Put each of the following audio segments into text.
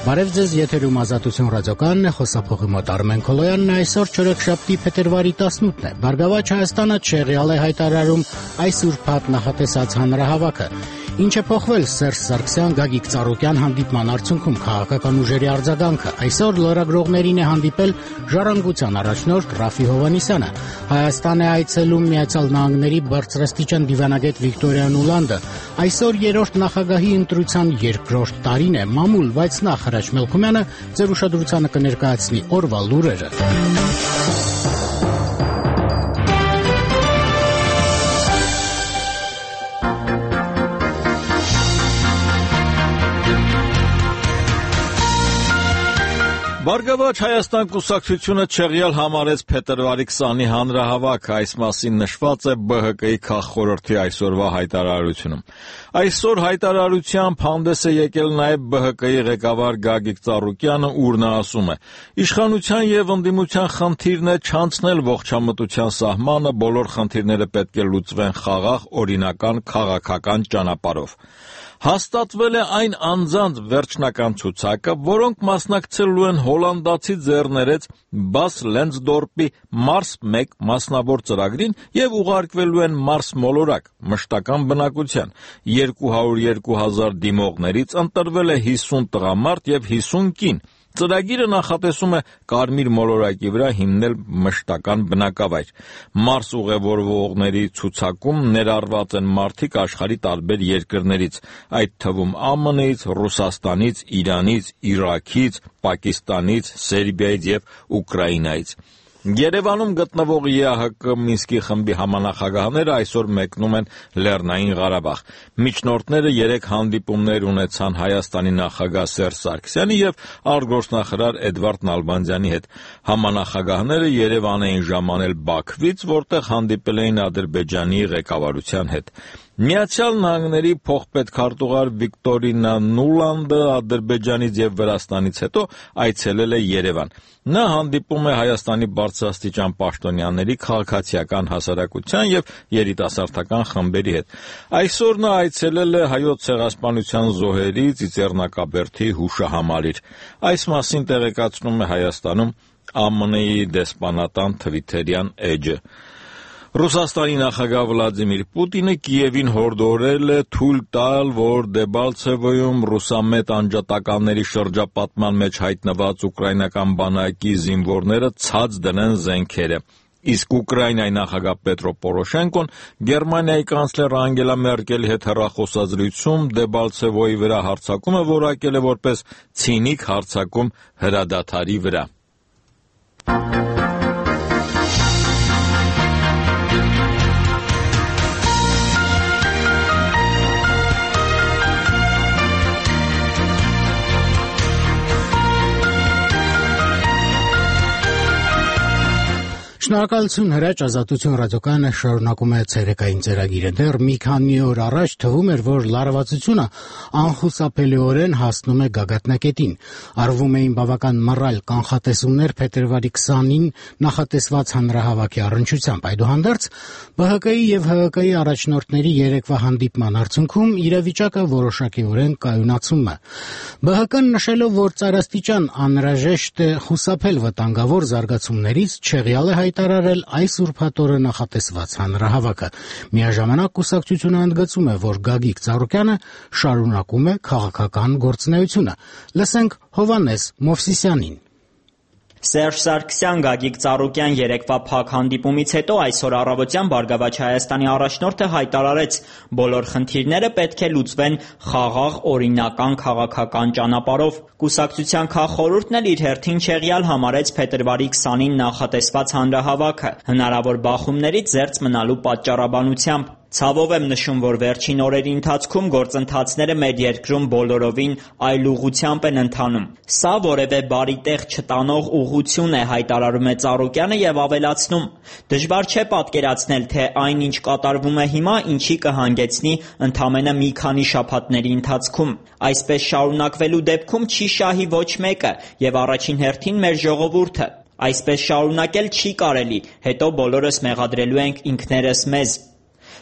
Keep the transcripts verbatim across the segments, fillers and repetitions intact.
Բարև ձեզ, եթերում Ազատություն ռադիոկայանն է, խոսափողի մոտ Արմեն Քոլոյանն է, այսօր չորեքշաբթի փետրվարի տասնութն է։ «Բարգավաճ Հայաստանը» չեղյալ է հայտարարում այս ուրբաթ նախատեսած հանրահավաքը։ Ինչ է փոխվել Սերժ Սարգսյան Գագիկ Ծառուկյան հանդիպման արդյունքում քաղաքական ուժերի արձագանքը։ Այսօր լրագրողներին է հանդիպել Ժառանգության առաջնորդ Ռաֆի Հովհաննիսյանը։ Հայաստան է այցելում Միացյալ Նահանգների բարձրաստիճան դիվանագետ Վիկտորիա Նուլանդը։ Այսօր երրորդ նախագահի ընտրության երկրորդ տարին է մամուլ, բայց նախ Հրաչ Մելքումյանը ձեր ուշադրությանը կներկայացնի օրվա լուրերը։ Բարգավաճ Հայաստան կուսակցությունը չեղյալ համարեց փետրվարի քսանի հանրահավաքը, այս մասին նշված է B H K-ի քաղխորհրդի այսօրվա հայտարարությունում։ Այսօր հայտարարությամբ հանդես է եկել նաև B H K-ի ղեկավար Գագիկ Ծառուկյանը, ուր նա ասում է. «Իշխանության եւ ընդդիմության խնդիրն է չանցնել ողջամտության սահմանը, բոլոր խնդիրները պետք է լուծվեն խաղաղ, օրինական, քաղաքական ճանապարհով։ Հաստատվել է այն անձանց վերջնական ցուցակը, որոնք մասնակցելու են հոլանդացի ձեռներեց Բաս Լենցդորպի Մարս մեկ մասնավոր ծրագրին եւ ուղարկվելու են Մարս մոլորակ մշտական բնակության։ երկու հարյուր երկու հազար դիմողներից ընտրվել է հիսուն տղամարդ եւ հիսուն կին։ Ծրագիրը նախատեսում է Կարմիր մոլորակի վրա հիմնել մշտական բնակավայր։ Մարս ուղևորվողների ցուցակում ներառված են մարդիկ աշխարհի տարբեր երկրներից, այդ թվում Α M-ից, Ռուսաստանից, Իրանից, Իրաքից, Պակիստանից, Սերբիայից եւ Ուկրաինայից։ Երևանում գտնվող Ե A H K Մինսկի խմբի համանախագահները այսօր մեկնում են Լեռնային Ղարաբաղ։ Միջնորդները երեք հանդիպումներ ունեցան Հայաստանի նախագահ Սերժ Սարգսյանի եւ արտգործնախարար Էդվարդ Նալբանդյանի հետ։ Համանախագահները Երևան էին ժամանել Բաքվից, որտեղ հանդիպել էին Ադրբեջանի ղեկավարության հետ։ Միացյալ Նահանգների փոխպետքարտուղար Վիկտորիա Նուլանդը Ադրբեջանից եւ Վրաստանից հետո այցելել է Երևան։ Նա հանդիպում է Հայաստանի բարձրաստիճան պաշտոնյաների, քաղաքացիական հասարակության եւ երիտասարդական խմբերի հետ։ Այսօր նա այցելել է Հայոց ցեղասպանության զոհերի Ծիծեռնակաբերդի հուշահամալիր։ Այս մասին տեղեկացնում է Հայաստանում A M N-ի դեսպանատան Թվիթերյան էջը։ Ռուսաստանի նախագահ Վլադիմիր Պուտինը Կիևին հորդորել է թույլ տալ, որ Դեբալցևոյում ռուսամետ անջատականների շրջապատման մեջ հայտնված ուկրաինական բանակի զինվորները ցած դնեն զենքերը։ Իսկ Ուկրաինայի նախագահ Պետրո Պորոշենկոն Գերմանիայի կանցլեր Անգելա Մերկելի հետ հեռախոսազրույցում Դեբալցևոյի վրա հարձակումը որակել է որպես ցինիկ հարձակում հրադադարի վրա։ Շնորհակալություն Հրաչ, Ազատություն ռադիոկայանը շարունակում է ցերեկային ծրագիրը։ Դեռ մի քանի օր առաջ թվում էր, որ լարվածությունը անխուսափելիորեն հասնում է գագաթնակետին։ Արվում էին բավական մռայլ կանխատեսումներ փետրվարի քսանին նախատեսված հանրահավաքի առնչությամբ։ Այդուհանդերձ B H K-ի եւ H H K-ի առաջնորդների երեկվա հանդիպման արդյունքում իրավիճակը որոշակիորեն կայունացում է։ B H K-ն նշելով, որ ծայրաստիճան անհրաժեշտ է խուսափել վտանգավոր զարգացումներից, չեղյալ է հայտարարել այս ուրբաթ օրը նախատեսված հանրահավաքը։ Միաժամանակ կուսակցությունը ընդգծում է, որ Գագիկ Ծառուկյանը շարունակում է քաղաքական գործունեությունը։ Լսենք Հովհաննես Մովսիսյանին։ Սերժ Սարգսյան Գագիկ Ծառուկյան երեկվա փակ հանդիպումից հետո այսօր առավոտյան Բարգավաճ Հայաստանի առաջնորդը հայտարարեց, բոլոր խնդիրները պետք է լուծվեն խաղաղ, օրինական, քաղաքական ճանապարհով։ Կուսակցության քաղխորհուրդն էլ իր հերթին չեղյալ համարեց փետրվարի քսանին նախատեսված հանրահավաքը, հնարավոր բախումներից զերծ մնալու պատճառաբանությամբ։ Ցավով եմ նշում, որ վերջին օրերի ընթացքում գործընթացները մեր երկրում բոլորովին այլ ուղղությամբ են ընթանում։ Սա որևէ բարի տեղ չտանող ուղղություն է, հայտարարում է Ծառուկյանը եւ ավելացնում. դժվար չէ պատկերացնել, թե այն, ինչ կատարվում է հիմա, ինչի կհանգեցնի ընդամենը մի քանի շաբաթների ընթացքում։ Այսպես շարունակվելու դեպքում չի շահի ոչ մեկը եւ առաջին հերթին մեր ժողովուրդը։ Այսպես շարունակել չի կարելի, հետո բոլորս մեղադրելու ենք ինքներս մեզ։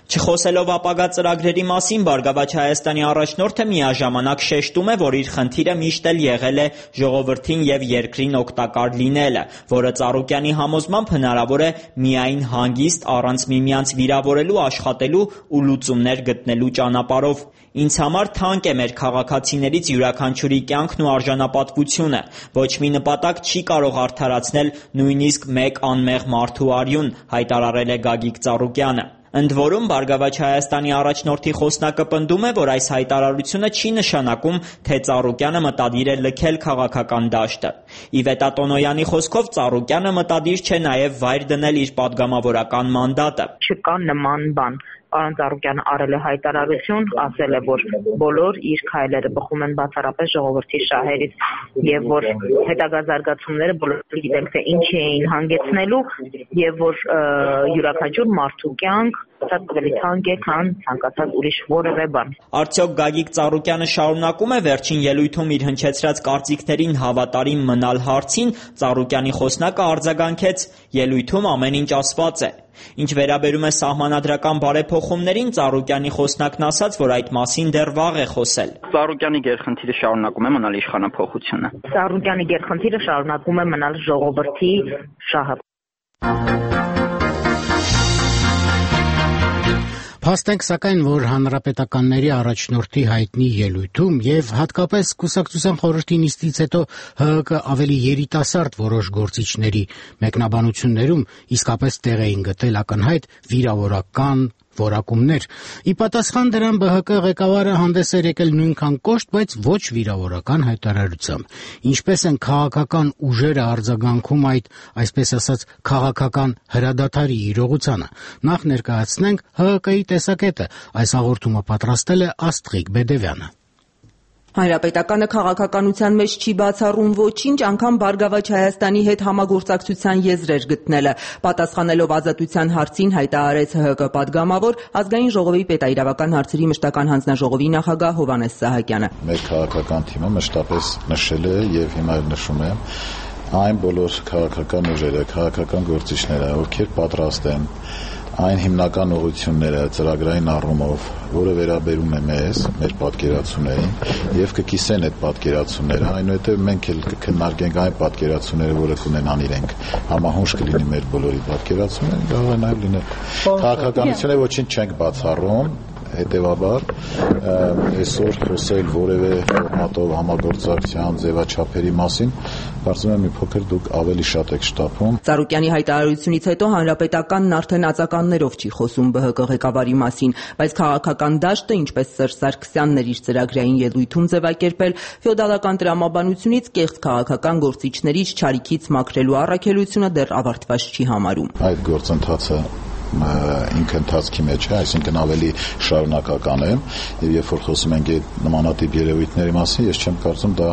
Չխոսելով ապագա ծրագրերի մասին, Բարգավաճ Հայաստանի առաջնորդը միաժամանակ շեշտում է, որ իր խնդիրը միշտ էլ եղել է ժողովրդին եւ երկրին օգտակար լինելը, որը Ծառուկյանի համոզմամբ հնարավոր է միայն հանգիստ, առանց միմյանց վիրավորելու աշխատելու ու լուծումներ գտնելու ճանապարհով։ Ինձ համար թանկ է մեր քաղաքացիներից յուրաքանչյուրի կյանքն ու արժանապատվությունը։ Ոչ մի նպատակ չի կարող արդարացնել նույնիսկ մեկ անմեղ մարդու արյուն, հայտարարել է Գագիկ Ծառուկյանը։ Ընդ որում, Բարգավաճ Հայաստանի առաջնորդի խոսնակը պնդում է, որ այս հայտարարությունը չի նշանակում, թե Ծառուկյանը մտադիր է լքել քաղաքական դաշտը։ Իվետա Տոնոյանի խոսքով Ծառուկյանը մտադիր չէ նաև վայր դնել իր падգամավորական մանդատը։ Չկա նման բան։ Պարոն Ծառուկյանը արել է հայտարարություն, ասել է, որ բոլոր իր քայլերը բխում են բացառապես ժողովրդի շահերից եւ որ հետագա զարգացումները բոլորը գիտենք, թե ինչի էին հանգեցնելու եւ որ յուրաքանչյուր մարդու կյանք ավելի թանկ է, քան ցանկացած ուրիշ որևէ բան։ Արդյոք Գագիկ Ծառուկյանը շարունակում է վերջին ելույթում իր հնչեցրած կարծիքներին հավատարիմ մնալ հարցին, Ծառուկյանի խոսնակը արձագանքեց. ելույթում ամեն ինչ ասված է։ Ինչ վերաբերում է սահմանադրական բարեփոխումներին, Ծառուկյանի խոսնակն ասաց, որ այդ մասին դեռ վաղ է խոսել։ Ծառուկյանի գերխնդիրը շարունակում է մնալ իշխանափոխությունը։ Ծառուկյանի գերխնդիրը շարունակում է մնալ ժողովրդի շահը։ Փաստենք սակայն, որ հանրապետականների առաջնորդի հայտնի ելույթում եւ հատկապես Կուսակցության խորհրդի նիստից հետո ՀՀԿ ավելի երիտասարդ որոշ գործիչների մեկնաբանություններում իսկապես տեղ էին գտել ակնհայտ վիրավորական որակումներ։ Ի պատասխան դրան ԲՀԿ ղեկավարը հանդես էր եկել նույնքան կոշտ, բայց ոչ վիրավորական հայտարարությամբ։ Ինչպես են քաղաքական ուժերը արձագանքում այդ, այսպես ասած, քաղաքական հրադադարի իրողությանը։ Նախ ներկայացնենք ՀՀԿ-ի տեսակետը։ Այս հաղորդումը պատրաստել է Աստղիկ Բեդևյանը։ Հանրապետականը քաղաքականության մեջ չի բացառում ոչինչ, անգամ Բարգավաճ Հայաստանի հետ համագործակցության եզրեր գտնելը։ Պատասխանելով ազատության հարցին հայտարարեց ՀՀԿ падգամավոր, ազգային ժողովի պետաիրավական հարցերի մշտական հանձնաժողովի նախագահ Հովհաննես Սահակյանը։ Մեր քաղաքական թիմը մշտապես նշել է եւ հիմա էլ նշում է այն բոլոր քաղաքական ուժերը, քաղաքական գործիչները, ովքեր պատրաստ են այն հիմնական ուղղությունները ծրագրային առումով, որը վերաբերում է մեզ, մեր պատկերացումներին եւ կկիսեն այդ պատկերացումները, այնուհետեւ մենք էլ կքննարկենք այն պատկերացումները, որը կունենան իրենք, համահունչ կլինի մեր բոլորի պատկերացումները, կարող է նաեւ լինել քաղաքականությունը ոչինչ չենք բացառում, հետևաբար այսօր խոսել որևէ ֆորմատով համագործակցության ձևաչափերի մասին, կարծում եմ մի փոքր դուք ավելի շատ եք շտապում։ Ծառուկյանի հայտարարությունից հետո հանրապետականն արդեն ածականներով չի խոսում ԲՀԿ ղեկավարի մասին, բայց քաղաքական դաշտը, ինչպես Սերժ Սարգսյանն էր իր ծրագրային ելույթում ձևակերպել, ֆեոդալական տրամաբանությունից կեղծ քաղաքական գործիչներից չարիքից մաքրելու առաքելությունը դեռ ավարտված չի համարում։ Այդ գործընթացը ինքը ընթացքի մեջ է, այսինքն ավելի շարունակական է եւ երբ որ խոսում ենք այդ նմանատիպ երևույթների մասին, ես չեմ կարծում դա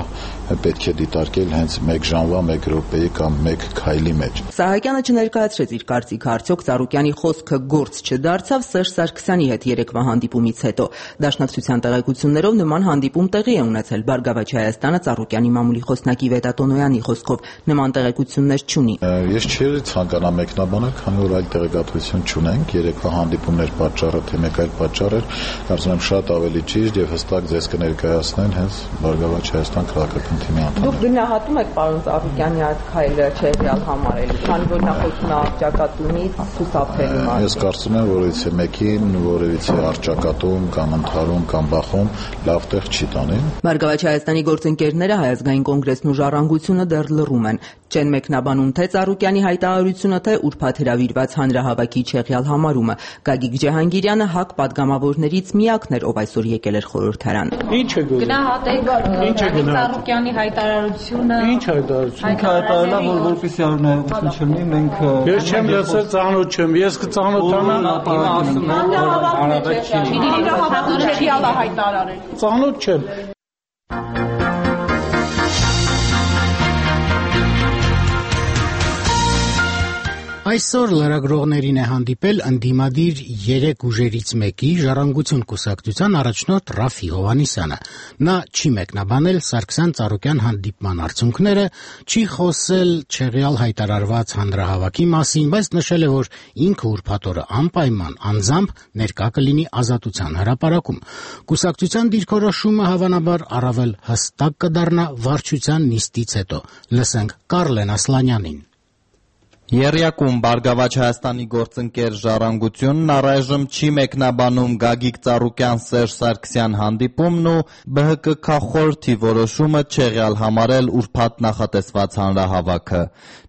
պետք է դիտարկել հենց մեկ ժամվա, մեկ րոպեի կամ մեկ քայլի մեջ։ Սահակյանը չներկայացրեց իր կարծիքը, արդյոք Ծառուկյանի խոսքը գործ չդարձավ Սերժ Սարգսյանի հետ երեկվա հանդիպումից հետո։ Դաշնակցության տեղեկություններով նման հանդիպում տեղի է ունեցել Բարգավաճ Հայաստանը Ծառուկյանի մամուլի խոսնակի Իվետա Տոնոյանի խոսքով նման տեղեկություններ չունի։ Ես չէի ցանկանա մեկնաբանել, քանի որ այլ տեղեկատվություն չունենք, երեկվա հանդիպումներ պատճառը թե մեկ այլ պատճառ էր, կարծում եմ շատ ավելի ճիշտ եւ հստակ ձեզ կներկայացնեն հենց Բարգավաճ Հայաստան քաղաքական թիմի անդամները։ Դուք գնահատում եք պարոն Ծառուկյանի այդ քայլը չեղյալ համարելու, քանի որ նա խոսում է առճակատումից, խուսափելու մասին։ Ես կարծում եմ, որ եթե մեկին որևիցե առճակատում կամ ընդհարում կամ բախում լավ տեղ չի տանի։ Բարգավաճ Հայաստանի գործընկերները Հայ ազգային կոնգրեսն ու Ժառանգությունը դեռ լռում են։ Չեն մեկնաբանում թե Ծառուկյանի հայտարարությունը, թե ուրբաթ հրավիրված հանրահավաքի չեղյալ համարումը։ Գագիկ Ջահանգիրյանը ՀԱԿ падգամավորներից միակն էր, ով այսօր եկել էր խորհրդարան։ Ինչ է գոյ։ Գնահատեք Ծառուկյանի հայտարարությունը։ Ինչ հայտարարություն։ Հայտարարելա, որ որպեսզի արնայություն չլինի, մենք Ես չեմ լսել, ծանոթ չեմ, ես կծանոթանամ։ Ծանոթ չեմ։ Այսօր լրագրողներին է հանդիպել ընդդիմադիր երեք ուժերից մեկի Ժառանգություն կուսակցության առաջնորդ Ռաֆի Հովհաննիսյանը։ Նա չի մեկնաբանել Սարգսյան-Ծառուկյան հանդիպման արդյունքները, չի խոսել չեղյալ հայտարարված հանրահավաքի մասին, բայց նշել է, որ ինքը ուրբաթ օրը անպայման անձամբ ներկա կլինի Ազատության հրապարակում։ Կուսակցության դիրքորոշումը հավանաբար առավել հստակ կդառնա վարչության նիստից հետո։ Լսենք Կարլեն Ասլանյանին։ Եռյակում Բարգավաճ Հայաստանի գործընկեր Ժառանգությունն առայժմ չի մեկնաբանում Գագիկ Ծառուկյան Սերժ Սարգսյան հանդիպումն ու Բ Հ Կ քաղխորհրդի որոշումը չեղյալ համարել ուրբաթ նախատեսված հանրահավաքը։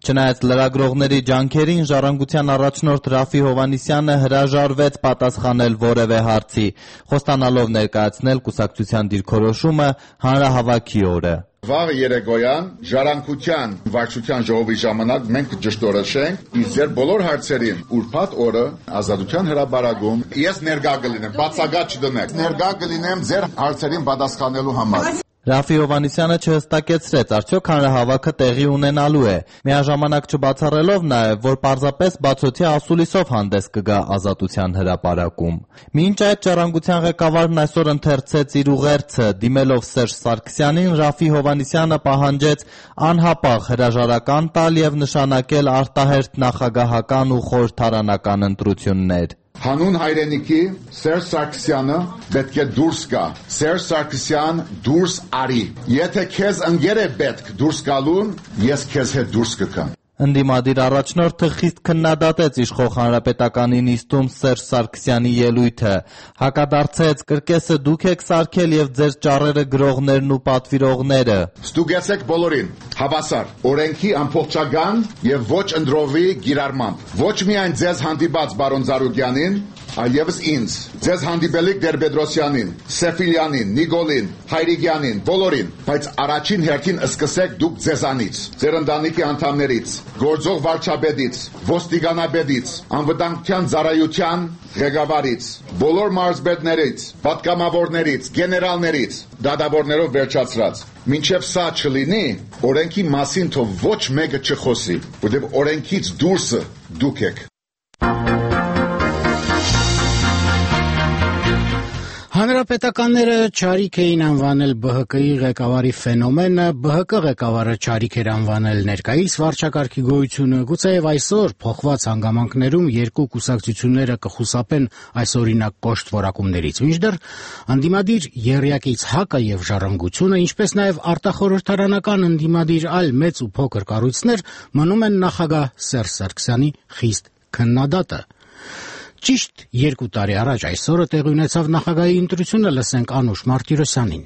Չնայած լրագրողների ջանքերին Ժառանգության առաջնորդ Ռաֆի Հովհաննիսյանը հրաժարվեց պատասխանել որևէ հարցի, խոստանալով ներկայացնել կուսակցության դիրքորոշումը հանրահավաքի օրը։ Վաղ երեկոյան Ժառանգության վարչության ժողովի ժամանակ մենք ճշտորոշենք իսկ ձեր բոլոր հարցերին ուրբաթ օրը Ազատության հրապարակում ես ներկա կլինեմ, բացակայ չդնեք, ներկա կլինեմ ձեր հարցերին պատասխանելու համար։ Ռաֆի Հովհաննիսյանը չհստակեցրեց, արդյոք հանրահավաքը տեղի ունենալու է, միաժամանակ չբացառելով նաև, որ պարզապես բացօթյա ասուլիսով հանդես կգա Ազատության հրապարակում։ Մինչ այդ Ժառանգության ղեկավարն այսօր ընթերցեց իր ուղերձը, դիմելով Սերժ Սարգսյանին, Ռաֆի Հովհաննիսյանը պահանջեց անհապաղ հրաժարական տալ եւ նշանակել արտահերթ նախագահական ու խորհրդարանական ընտրություններ։ Հանուն հայրենիքի Սերժ Սարգսյանը պետք է դուրս գա։ Սերժ Սարգսյան դուրս արի։ Եթե քեզ ընկեր է պետք դուրս գալուն, ես քեզ հետ դուրս կգամ։ Ընդդիմադիր առաջնորդը խիստ քննադատեց իշխող հանրապետականի նիստում Սերժ Սարգսյանի ելույթը, հակադարձեց կրկեսը դուք եք սարքել եւ ձեր ճառերը գրողներն ու պատվիրողները։ Ստուգեցեք բոլորին, հավասար, օրենքի ամբողջական եւ ոչ ընդրովի գիրառմամբ։ Ոչ միայն ձեզ հանդիպած բարոն Ծառուկյանին, այլևս ինձ, ձեզ հանդիպելիք Տեր-Պետրոսյանին, Սեֆիլյանին, Նիկոլին, Հայրիկյանին, բոլորին, բայց առաջին հերթին սկսեք դուք ձեզանից, ձեր ընտանիքի անդամներից, գործող վարչապետից, ոստիկանապետից, անվտանգության ծառայության ղեկավարից, բոլոր մարզպետներից, պատգամավորներից, գեներալներից, դատավորներով վերջացրած։ Մինչև սա չլինի, օրենքի մասին թող ոչ մեկը չխոսի, որտեղ օրենքից դուրսը դուք եք։ Հանրապետականները չարիք էին անվանել Բ Հ Կ-ի ղեկավարի ֆենոմենը, Բ Հ Կ ղեկավարը չարիք էր անվանել ներկայիս վարչակարգի գոյությունը, գուցեև այսօր փոխված հանգամանքներում երկու կուսակցությունները կխուսափեն այսօրինակ կոշտ որակումներից, մինչդեռ ընդդիմադիր եռյակից ՀԱԿ-ը եւ Ժառանգությունը, ինչպես նաեւ արտախորհրդարանական ընդդիմադիր այլ մեծ ու փոքր կառույցներ մնում են նախագահ Սերժ Սարգսյանի խիստ քննադատը։ Ճիշտ երկու տարի առաջ այսօրը տեղի ունեցավ նախագահի ընտրությունը, լսենք Անուշ Մարտիրոսյանին։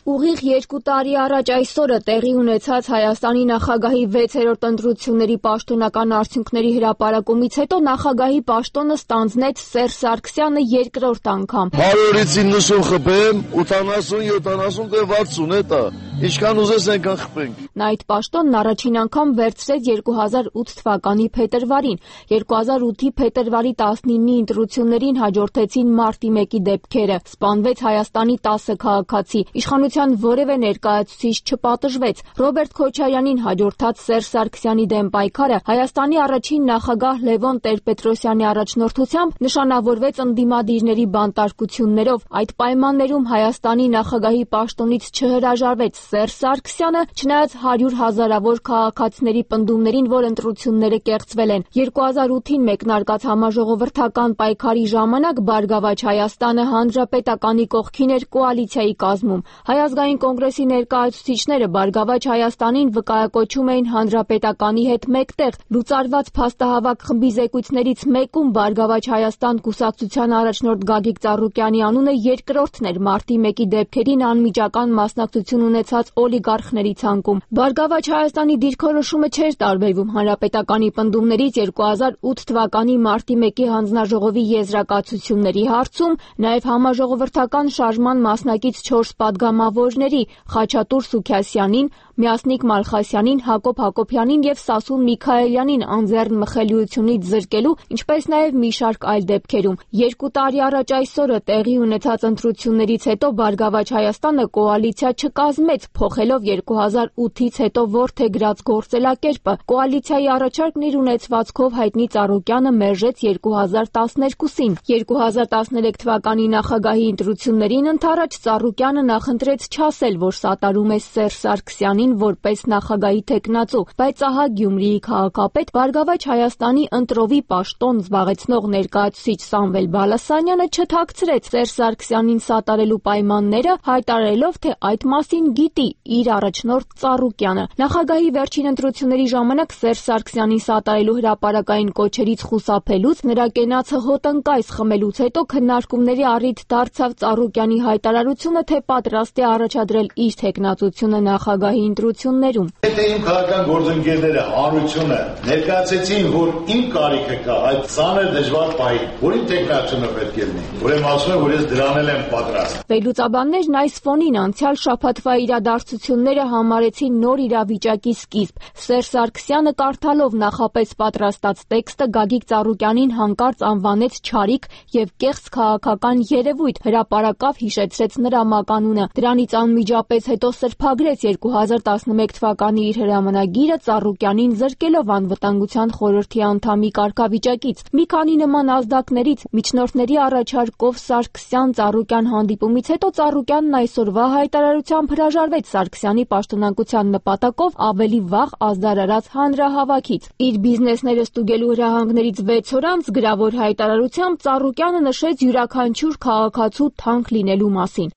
Ուղիղ երկու տարի առաջ այսօրը տեղի ունեցած Հայաստանի նախագահի վեցերորդ ընտրությունների պաշտոնական արդյունքների հրապարակումից հետո նախագահի պաշտոնը ստանձնեց Սերժ Սարգսյանը երկրորդ անգամ։ հարյուրից իննսուն խփեմ, ութանասուն, յոթանասուն, վաթսուն էտա։ Ինչքան ուզես այնքան խփենք։ Նա այդ պաշտոնն առաջին անգամ վերցրեց երկու հազար ութ թվականի փետրվարին։ երկու հազար ութի փետրվարի տասնինի ընտրություններին հաջորդեցին մարտի մեկի դեպքերը։ Սպանվեց Հայաստանի տասը քաղաքացի։ Իշխանության որևէ ներկայացուցիչ չպատժվեց։ Ռոբերտ Քոչարյանին հաջորդած Սերժ Սարգսյանի դեմ պայքարը Հայաստանի առաջին նախագահ Լևոն Տեր-Պետրոսյանի առաջնորդությամբ նշանավորվեց ընդդիմադիրների բանտարկություններով։ Այդ պայմաններում Հայաստանի նախագահի պաշտոնից չհրաժարվեց Սերժ Սարգսյանը, չնայած հարյուր հազարավոր քաղաքացիների պնդումներին, որ ընտրությունները կեղծվել են։ երկու հազար ութին մեկնարկած համաժողովրդական պայքարի ժամանակ Բարգավաճ Հայաստանը հանրապետականի կողքին էր կոալիցիայի կազմում։ Հայ ազգային կոնգրեսի ներկայացուցիչները Բարգավաճ Հայաստանին վկայակոչում էին հանրապետականի հետ մեկտեղ։ Լուծարված փաստահավաք խմբի զեկույցներից մեկում Բարգավաճ Հայաստան կուսակցության առաջնորդ Գագիկ Ծառուկյանի անունը երկրորդն էր մարտի մեկի դեպքերին անմիջական մասնակցություն ունեցած օլիգարխների ցանկում։ Բարգավաճ Հայաստանի դիրքորոշումը չէր տարբերվում հանրապետականի պնդումներից երկու հազար ութ թվականի մարտի մեկի հանձնաժողովի եզրակացությունների հարցում, նաև համաժողովրդական շարժման մասնակից չորս պատգամավորների Խաչատուր Սուքիասյանին, Միասնիկ Մալխասյանին, Հակոբ Հակոբյանին եւ Սասուն Միքայելյանին անձեռն մխելիությունից զրկելու, ինչպես նաեւ մի շարք այլ դեպքերում։ Երկու տարի առաջ այսօրը տեղի ունեցած ընտրություններից հետո Բարգավաճ Հայաստանը կոալիցիա չկազմեց փոխելով երկու հազար ութից հետո որդեգրած գործելակերպը։ Կոալիցիայի առաջարկն իր ունեցվածքով հայտնի Ծառուկյանը մերժեց երկու հազար տասներկուսին։ երկու հազար տասներեք թվականի նախագահի ընտրություններին ընդառաջ Ծառուկյանը նախընտրեց չասել, որ սատարում է Սերժ Սարգսյանին որպես նախագահի թեկնածու, բայց ահա Գյումրիի քաղաքապետ Բարգավաճ Հայաստանի ընտրովի պաշտոն զբաղեցնող ներկայացուցիչ Սամվել Բալասանյանը չթաքցրեց Սերժ Սարգսյանին սատարելու պայմանները, հայտարարելով, թե այդ մասին գիտի իր առաջնորդ Ծառուկյանը։ Նախագահի վերջին ընտրությունների ժամանակ Սերժ Սարգսյանին սատարելու հրապարակային կոչերից խուսափելուց, նրա կենացը հոտնկայս խմելուց հետո քննարկումների առիթ դարձավ Ծառուկյանի հայտարարությունը, թե պատրաստ է առաջադրել իր թեկնածությունը նախագահի ընտրություններում։ Եթե իմ քաղաքական գործընկերները հանրությունը ներկայացեցին, որ իմ կարիքը կա այդ ծանր դժվար պահին, որ իմ թեկնածությունը պետք է լինի, ուրեմն ասում եմ, որ ես դրան եմ պատրաստ։ Վերլուծաբաններն այս ֆոնին անցյալ շաբաթվա իրադարձությունները համարեցին նոր իրավիճակի սկիզբ։ Սերժ Սարգսյանը կարդալով նախապես պատրաստած տեքստը Գագիկ Ծառուկյանին հանկարծ անվանեց չարիք եւ կեղծ քաղաքական երևույթ, հրապարակավ հիշեցրեց նրա մականունը։ Դրանից անմիջապես հետո սրբագրեց երկու հազար տասնմեկ թվականի իր հրամանագիրը Ծառուկյանին զրկելով անվտանգության խորհրդի անդամի կարգավիճակից։ Մի քանի նման ազդակներից միջնորդների առաջարկով Սարգսյան-Ծառուկյան հանդիպումից հետո Ծառուկյանն այսօրվա հայտարարությամբ հրաժարվեց Սարգսյանի պաշտոնակության նպատակով ավելի վաղ ազդարարած հանրահավաքից։ Իր բիզնեսները ստուգելու հրահանգներից վեց օր անց գրավոր հայտարարությամբ Ծառուկյանը նշեց յուրաքանչյուր քաղաքացու թանկ լինելու մասին։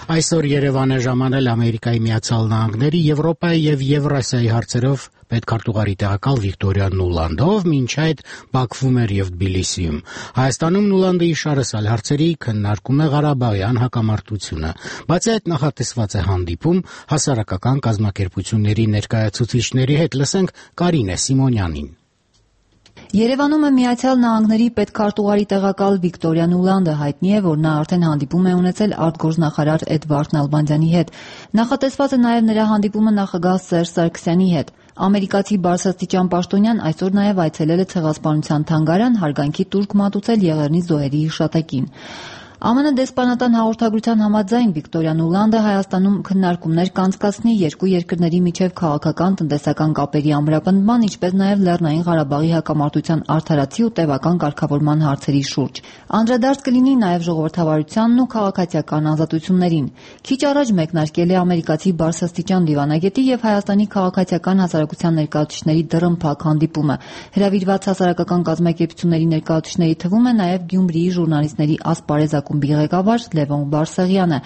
Այսօր Երևան է ժամանել Ամերիկայի Միացյալ Նահանգների, Եվրոպայի եւ Եվրասիայի հարցերով պետքարտուղարի տեղակալ Վիկտորիա Նուլանդով, մինչ այդ Բաքվում էր եւ Թբիլիսիում։ Հայաստանում Նուլանդը իշարսալ հարցերի քննարկում է Ղարաբաղյան հակամարտությունը։ Բացի այդ նախատեսված է հանդիպում հասարակական կազմակերպությունների ներկայացուցիչների հետ։ Լսենք Կարինե Սիմոնյանին։ Երևանում է Միացյալ Նահանգների պետքարտուղարի տեղակալ Վիկտորիա Նուլանդը։ Հայտնի է, որ նա արդեն հանդիպում է ունեցել արտգործնախարար Էդվարդ Նալբանդյանի հետ։ Նախատեսված է նաև նրա հանդիպումը նախագահ Սերժ Սարգսյանի հետ։ Ամերիկացի բարձրաստիճան պաշտոնյան այսօր նաև այցելել է Ցեղասպանության թանգարան հարգանքի տուրք մատուցել Եղեռնի զոհերի հիշատակին։ ԱՄՆ դեսպանատան հաղորդագրության համաձայն Վիկտորիա Նուլանդը Հայաստանում քննարկումներ կանցկացնի երկու երկրների միջև քաղաքական տնտեսական կապերի ամրապնդման, ինչպես նաև Լեռնային Ղարաբաղի հակամարտության արդարացի ու տևական կարգավորման հարցերի շուրջ։ Անդրադարձ կլինի նաև ժողովրդավարությանն ու քաղաքացիական ազատություններին։ Քիչ առաջ մեկնարկել է ամերիկացի բարձրաստիճան դիվանագետի եւ Հայաստանի քաղաքացիական հասարակության ներկայացուցիչների դռնփակ հանդիպումը։ Հրավիրված հասարակական կազմակերպությունների ներկայացուցիչների թվում է նաև Գյումրիի ժուրնալիստների ասպարեզ ակումբի ղեկավար Լևոն Բարսեղյանը,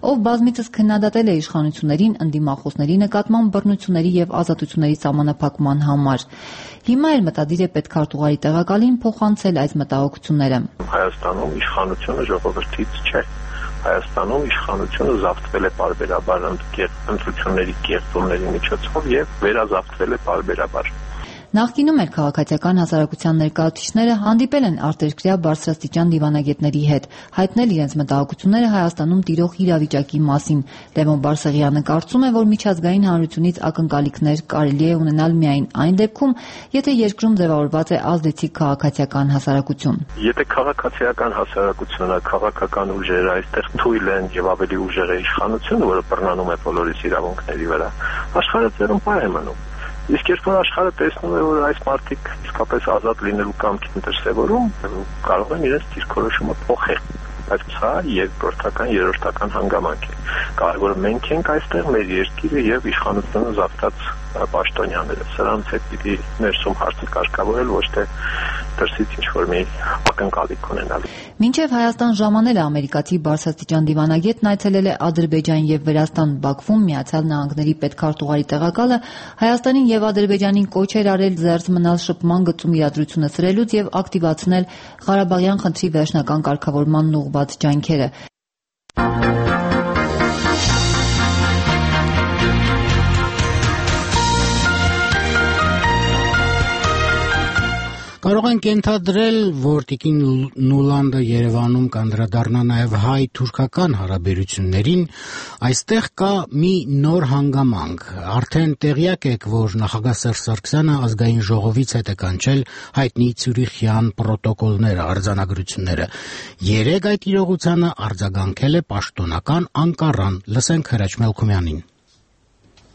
ով բազմիցս քննադատել է իշխանություններին ընդդիմախոսների նկատմամբ բռնությունների եւ ազատությունների սահմանափակման համար։ Հիմա էլ մտադիր է պետքարտուղարի տեղակալին փոխանցել այս մտահոգությունները։ Հայաստանում իշխանությունը ժողովրդից չէ։ Հայաստանում իշխանությունը զավթվել է պարբերաբար ընտրությունների կեղծումների միջոցով եւ վերազավթվել է պարբերաբար։ Նախկինում էլ քաղաքացիական հասարակության ներկայացուցիչները հանդիպել են արտերկրյա բարձրաստիճան դիվանագետների հետ, հայտնել իրենց մտահոգությունները Հայաստանում տիրող իրավիճակի մասին։ Լևոն Բարսեղյանը կարծում է, որ միջազգային հանրությունից ակնկալիքներ կարելի է ունենալ միայն այն դեպքում, եթե երկրում ձևավորված է ազդեցիկ քաղաքացիական հասարակություն։ Եթե քաղաքացիական հասարակությունը, քաղաքական ուժերը այստեղ թույլ են եւ ավելի ուժեղ է իշխանությունը, որը բռնանում է բոլորիս իրավունքների վրա, աշխարհը ծերունպահ է մնում։ Իսկ երբ որ աշխարհը տեսնում է, որ այս մարդիկ իսկապես ազատ լինելու կամք են դրսևորում, կարող են իրենց դիրքորոշումը փոխել։ Բայց սա երկրորդական, երրորդական հանգամանք է։ Կարևորը մենք ենք այստեղ, մեր երկիրը եւ իշխանությունը զավթած պաշտոնյաները։ Սրանց հետ պիտի ներսում հարցը կարգավորել, ոչ թե դրսից ինչ-որ մի ակնկալիք ունենալ։ Մինչև Հայաստան ժամանել է ամերիկացի բարձրաստիճան դիվանագետն այցելել է Ադրբեջան եւ Վրաստան։ Բաքվում Միացյալ Նահանգների պետքարտուղարի տեղակալը Հայաստանին եւ Ադրբեջանին կոչ էր արել զերծ մնալ շփման գծում իրադրությունը սրելուց եւ ակտիվացնել Ղարաբաղյան խնդրի վերջնական կարգավորմանն ուղղված ջանքերը։ Կարող ենք ենթադրել, որ Տիկին Նուլանդը Երևանում կանդրադառնա նաև հայ-թուրքական հարաբերություններին, այստեղ կա մի նոր հանգամանք։ Արդեն տեղյակ եք, որ նախագահ Սերժ Սարգսյանը ազգային ժողովից հետ է կանչել հայտնի Ցյուրիխյան պրոտոկոլները, արձանագրությունները։ Երեկ այդ իրողությանը արձագանքել է պաշտոնական Անկարան։ Լսենք Հրաչ Մելքումյանին։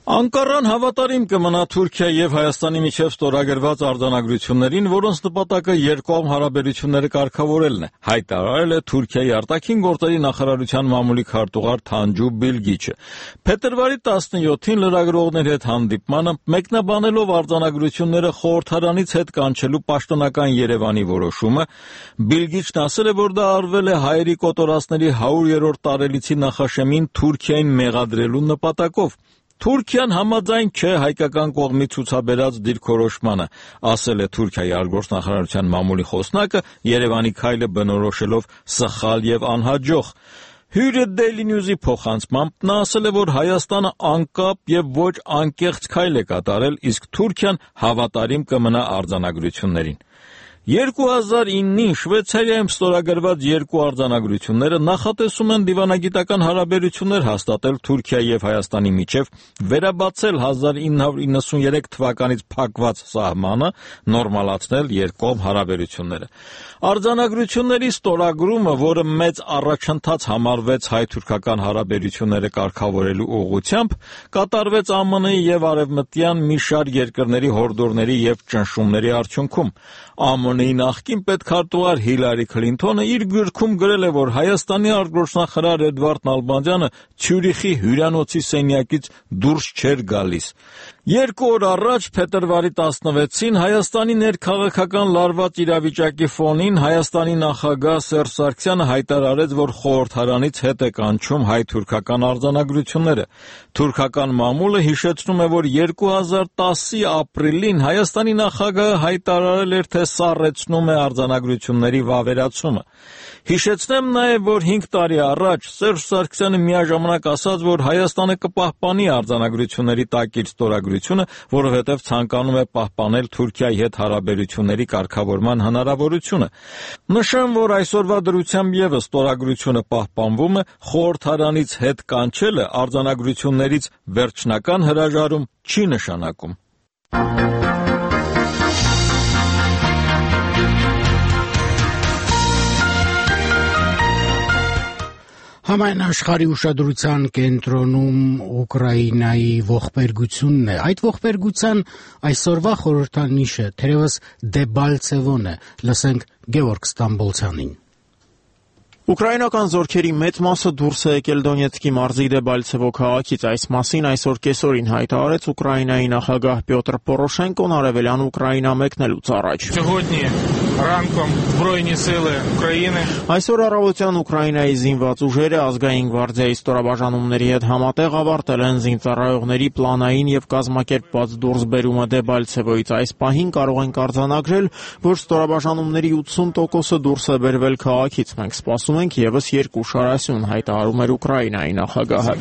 Անկարան հավատարիմ կմնա Թուրքիայի եւ Հայաստանի միջև ստորագրված արձանագրություններին, որոնց նպատակը երկկողմ հարաբերությունները կարգավորելն է, հայտարարել է Թուրքիայի արտաքին գործերի նախարարության մամուլի քարտուղար Թանջու Բիլգիչը։ Փետրվարի տասնյոթին լրագրողների հետ հանդիպմանը մեկնաբանելով արձանագրությունները խորհրդարանից հետ կանչելու պաշտոնական Երևանի որոշումը, Բիլգիչն ասել է, որ դա արվել է հայերի կոտորածների հարյուրերորդ տարելիցի նախաշեմին Թուրքիային մեղադրելու նպատակով։ Թուրքիան համաձայն չէ հայկական կողմի ցուցաբերած դիրքորոշմանը, ասել է Թուրքիայի արտգործնախարարության մամուլի խոսնակը, Երևանի քայլը բնորոշելով սխալ եւ անհաջող։ Հյուրը Daily News-ի փոխանցմամբ նա ասել է, որ Հայաստանը անկապ եւ ոչ անկեղծ քայլ է կատարել, իսկ Թուրքիան հավատարիմ կմնա արձանագրություններին։ երկու հազար իննին Շվեյցարիայում ստորագրված երկու արձանագրությունները նախատեսում են դիվանագիտական հարաբերություններ հաստատել Թուրքիայի եւ Հայաստանի միջև, վերաբացել հազար ինը հարյուր իննսուններեք թվականից փակված սահմանը, նորմալացնել երկկողմ հարաբերությունները։ Արձանագրությունների ստորագրումը, որը մեծ առաջընթաց համարվեց հայ-թուրքական հարաբերությունները կարգավորելու ուղղությամբ, կատարվեց Α M N-ի եւ արևմտյան մի շարք երկրների հորդորների եւ ճնշումների արդյունքում։ Α M N-ի նախկին պետքարտուղար Հիլարի Քլինթոնը իր գրքում գրել է, որ Հայաստանի արտգործնախարար Էդվարդ Նալբանդյանը Ցյուրիխի հյուրանոցի սենյակից դուրս չէր գալիս։ Երկու օր առաջ, փետրվարի տասնվեցին, Հայաստանի ներքաղաքական լարված իրավիճակի ֆոնին Հայաստանի նախագահ Սերժ Սարգսյանը հայտարարեց, որ խորհրդարանից հետ է կանչում հայ-թուրքական արձանագրությունները։ Թուրքական մամուլը հիշեցնում է, որ երկու հազար տասի ապրիլին Հայաստանի նախագահը հայտարարել էր, թե սառեցնում է արձանագրությունների վավերացումը։ Հիշեցնեմ նաև, որ հինգ տարի առաջ Սերժ Սարգսյանը միաժամանակ ասաց, որ Հայաստանը կպահպանի արձանագրությունների տակիր ստորագրությունը, որովհետև ցանկանում է պահպանել Թուրքիայի հետ հարաբերությունների կարգավորման հնարավորությունը։ Նշեմ, որ այսօրվա դրությամբ ևս ստորագրությունը պահպանվում է, խորհրդարանից հետ կանչելը արձանագրություններից վերջնական հրաժարում չի նշանակում։ Համայն աշխարհի ուշադրության կենտրոնում Ուկրաինայի ողբերգությունն է։ Այդ ողբերգության այսօրվա խորհրդանիշը թերևս Դեբալցևոն է։ Լսենք Գևորգ Ստամբոլցյանին։ Ուկրաինական զորքերի մեծ մասը դուրս է եկել Դոնեցկի մարզի Դեբալցևո քաղաքից։ Այս մասին այսօր կեսօրին հայտարարեց Ուկրաինայի նախագահ Պյոտր Պորոշենկոն արևելյան Ուկրաինա մեկնելուց առաջ։ Այսօր առավոտյան Ուկրաինայի զինված ուժերը ազգային գվարդիայի ստորաբաժանումների հետ համատեղ ավարտել են զինծառայողների պլանային եւ կազմակերպված դուրսբերումը Դեբալցևոից։ Այս պահին կարող ենք արձանագրել, որ ստորաբաժանումների ութսուն տոկոսը դուրս է բերվել քաղաքից։ Մենք սպասում ենք եւս երկու շարասյուն, հայտարարում էր Ուկրաինայի նախագահը։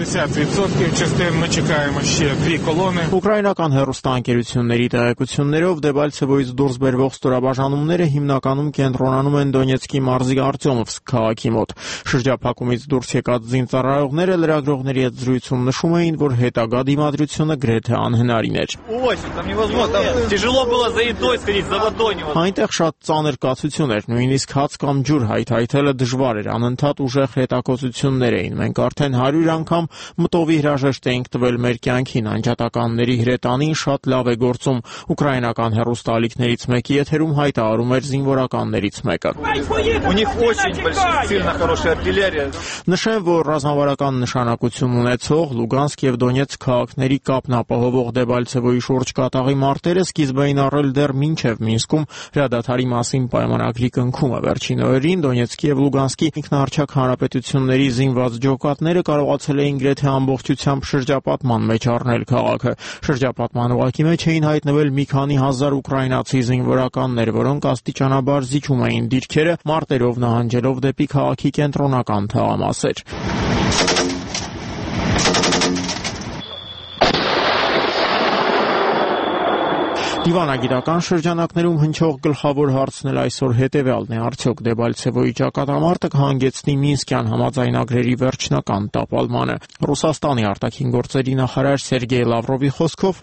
Ուկրաինական հեռուստաընկերությունների տեղեկություններով Դեբալցևոից դուրս բերվող ստորաբաժանումները հիմնականում կենտրոնանում են Դոնեցկի մարզի Արտյոմովսկ քաղաքի մոտ։ Շրջափակումից դուրս եկած զինծառայողները լրագրողների հետ զրույցում նշում էին, որ հետագա դիմադրությունը գրեթե անհնարին էր։ Այնտեղ շատ ծանր կացություն էր, նույնիսկ հաց կամ ջուր հայթայթելը դժվար էր, անընդհատ ուժեղ հետակոծություններ էին։ Մենք արդեն հարյուր անգամ մտովի հրաժեշտ էինք տվել մեր կյանքին, անջատականների հրետանին շատ լավ է գործում։ Ուկրաինական հեռուստաալիքներից մեկի եթերում հայտարարում էր զինվորականներից մեկը։ Նշեմ, որ ռազմավարական նշանակություն ունեցող Լուգանսկ եւ Դոնեցկ քաղաքների կապն ապահովող Դեբալցևոյի շուրջ կատաղի մարտերը սկիզբ էին առել դեռ մինչև Մինսկում հրադադարի մասին պայմանագրի կնքումը։ Վերջին օրերին Դոնեցկի եւ Լուգանսկի ինքնահռչակ հանրապետությունների զինված ջոկատները կարողացել էին գրեթե ամբողջությամբ շրջապատման մեջ առնել քաղաքը։ Շրջապատման ուղղակի մեջ էին հայտնվել մի քանի հազար ուկրաինացի զինվորականներ, որոնք աստիճանաբար զիջում էին դիրքերը, մարտերով նահանջելով դեպի քաղաքի կենտրոնական թաղամասեր։ Դիվանագիտական շրջանակներում հնչող գլխավոր հարցն էլ այսօր հետևյալն է. արդյոք Դեբալցևոյի ճակատամարտը կհանգեցնի Մինսկյան համաձայնագրերի վերջնական տապալմանը։ Ռուսաստանի արտաքին գործերի նախարար Սերգեյ Լավրովի խոսքով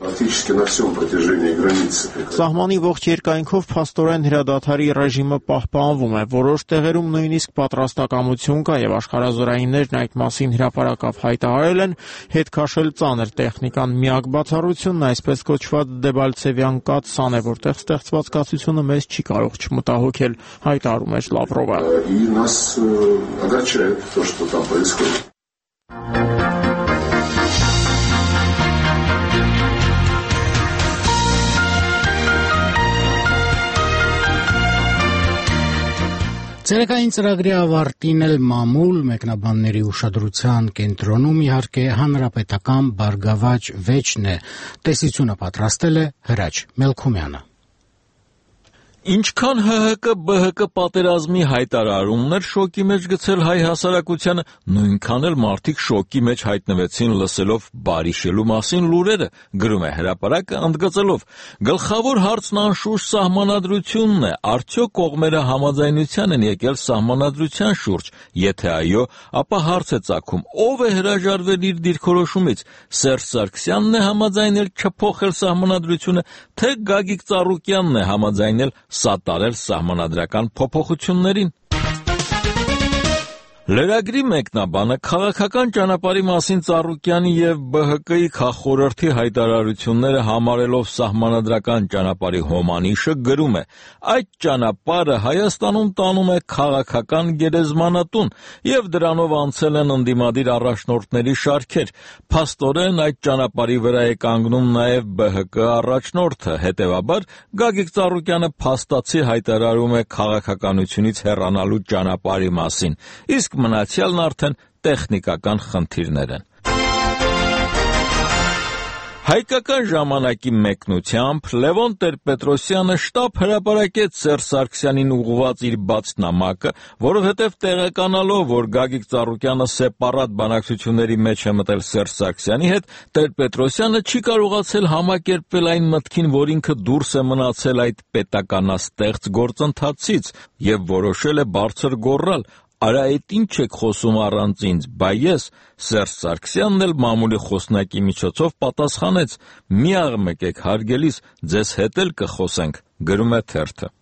սահմանի ողջ երկայնքով փաստորեն հրադադարի ռեժիմը պահպանվում է, որոշ տեղերում նույնիսկ պատրաստակամություն կա եւ աշխարհազորայիններն այդ մասին հրապարակավ հայտարարել են, հետ քաշել ծանր տեխնիկան միակ բացառությունն այսպես կոչված Դեբալցևյան կաթսան է, որտեղ ստեղծված կացությունը մեզ չի կարող չմտահոգել, հայտարարում էր Լավրովը։ Ցերեկային ծրագրի ավարտին էլ մամուլ մեկնաբանների ուշադրության կենտրոնում իհարկե հանրապետական բարգավաճ վեճն է, տեսությունը պատրաստել է Հրաչ Մելքումյանը։ Ինչքան ՀՀԿ-ԲՀԿ պատերազմի հայտարարումներ շոկի մեջ գցել հայ հասարակությանը, նույնքան էլ մարդիկ շոկի մեջ հայտնվեցին լսելով բարիշելու մասին լուրերը, գրում է հրապարակը ընդգծելով. գլխավոր հարցն անշուշտ սահմանադրությունն է, արդյոք կողմերը համաձայնության են եկել սահմանադրության շուրջ, եթե այո, ապա հարց է ծագում, ով է հրաժարվել իր դիրքորոշումից, Սերժ Սարգսյանն է համաձայնել չփոխել սահմանադրությունը, թե Գագիկ Ծառուկյանն է համաձայնել սատարել սահմանադրական փոփոխություններին։ Լրագրի մեկնաբանը քաղաքական ճանապարհի մասին Ծառուկյանի եւ ԲՀԿ-ի քաղխորհրդի հայտարարությունները համարելով սահմանադրական ճանապարհի հոմանիշը գրում է. այդ ճանապարհը Հայաստանում տանում է քաղաքական գերեզմանատուն եւ դրանով անցել են ընդդիմադիր առաջնորդների շարքեր։ Փաստորեն այդ ճանապարհի վրա է կանգնում նաեւ ԲՀԿ առաջնորդը, հետեւաբար Գագիկ Ծառուկյանը փաստացի հայտարարում է քաղաքականությունից հեռանալու ճանապարհի մասին, իսկ մնացյալն արդեն տեխնիկական խնդիրներ են։ Հայկական ժամանակի մեկնությամբ Լևոն Տեր-Պետրոսյանը շտապ հրապարակեց Սերժ Սարգսյանին ուղղված իր բաց նամակը, որովհետև տեղեկանալով, որ Գագիկ Ծառուկյանը սեպարատ բանակցությունների մեջ է մտել Սերժ Սարգսյանի հետ, Տեր-Պետրոսյանը չի կարողացել համակերպվել այն մտքին, որ ինքը դուրս է մնացել այդ պետականաստեղծ գործընթացից եւ որոշել է բարձր գոռալ. Արա այդ ինչ եք խոսում առանց ինձ, բա ես, Սերժ Սարգսյանն էլ մամուլի խոսնակի միջոցով պատասխանեց. մի աղմեք եք հարգելիս, ձեզ հետ էլ կխոսենք, գրում է թերթը։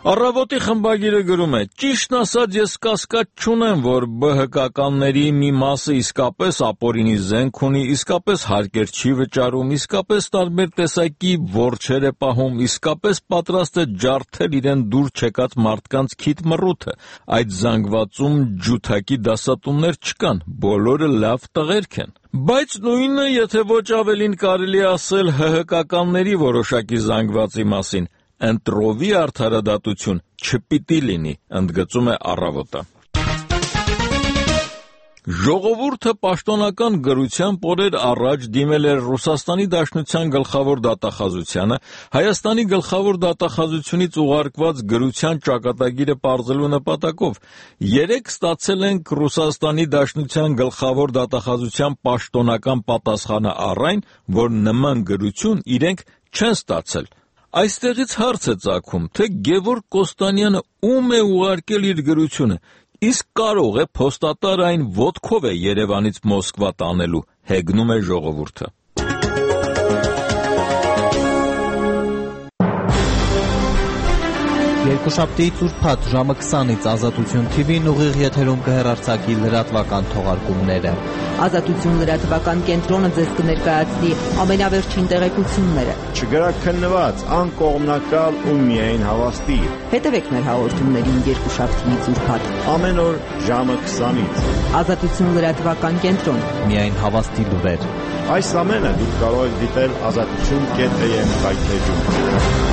Առավոտի խմբագիրը գրում է. ճիշտն ասած ես կասկած չունեմ, որ ԲՀԿ-ականների մի մասը իսկապես ապօրինի զենք ունի, իսկապես հարկեր չի վճարում, իսկապես տարբեր տեսակի որջեր է պահում, իսկապես պատրաստ է ջարդել իրեն դուր չեկած մարդկանց քիթ մռութը։ Այդ զանգվածում ջութակի դասատուններ չկան, բոլորը լավ տղերք են։ Բայց նույնը, եթե ոչ ավելին կարելի ասել ՀՀԿ-ականների որոշակի զանգվածի մասին, ընտրովի արդարադատություն չպիտի լինի, ընդգծում է Առավոտը։ Ժողովուրդը պաշտոնական գրությամբ օրեր առաջ դիմել էր Ռուսաստանի Դաշնության գլխավոր դատախազությանը, Հայաստանի գլխավոր դատախազությունից ուղարկված գրության ճակատագիրը պարզելու նպատակով։ Երեկ ստացել ենք Ռուսաստանի Դաշնության գլխավոր դատախազության պաշտոնական պատասխանը առ այն, որ նման գրություն իրենք չեն ստացել։ Այստեղից հարց է ծագում, թե Գևորգ Կոստանյանը ում է ուղարկել իր գրությունը, իսկ կարող է փոստատար այն ոտքով է Երևանից Մոսկվա տանելու, հեգնում է ժողովուրդը։ Երկուշաբթի ծուրփաթ ժամը քսանից Ազատություն թի վին ուղիղ եթերում կհեռարձակի լրատվական թողարկումները։ Ազատություն լրատվական կենտրոնը ձեզ կներկայացնի ամենավերջին տեղեկությունները։ Չգրաքննված, անկողմնակալ ու միայն հավաստի։ Հետևեք մեր հաղորդումներին երկուշաբթի ծուրփաթ ամեն օր ժամը քսանից։ Ազատություն լրատվական կենտրոն։ Միայն հավաստի լուրեր։ Այս ամենը դուք կարող եք դիտել ազատություն կետ am կայքեջում։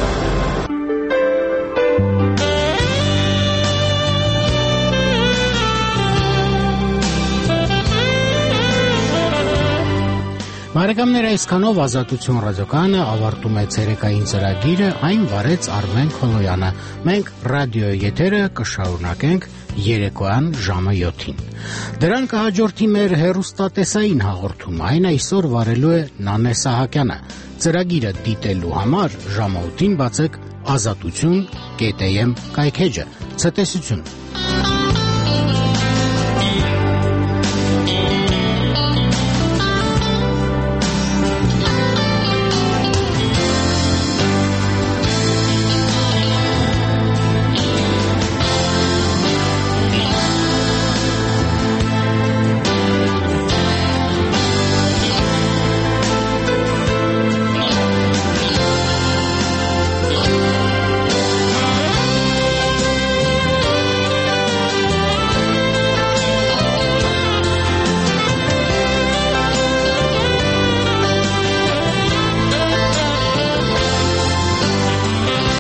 Բարեկամներ, այսքանով Ազատություն ռադիոկայանը ավարտում է ցերեկային ծրագիրը, այն վարեց Արմեն Քոլոյանը։ Մենք ռադիոյի եթերը կշարունակենք երեկոյան ժամը յոթին։ Դրան կհաջորդի մեր հեռուստատեսային հաղորդում, այն այսօր վարելու է Նանե Սահակյանը։ Ծրագիրը դիտելու համար ժամը ութին բացեք ազատություն կետ էյ էմ կայքէջը։ Ցտեսություն։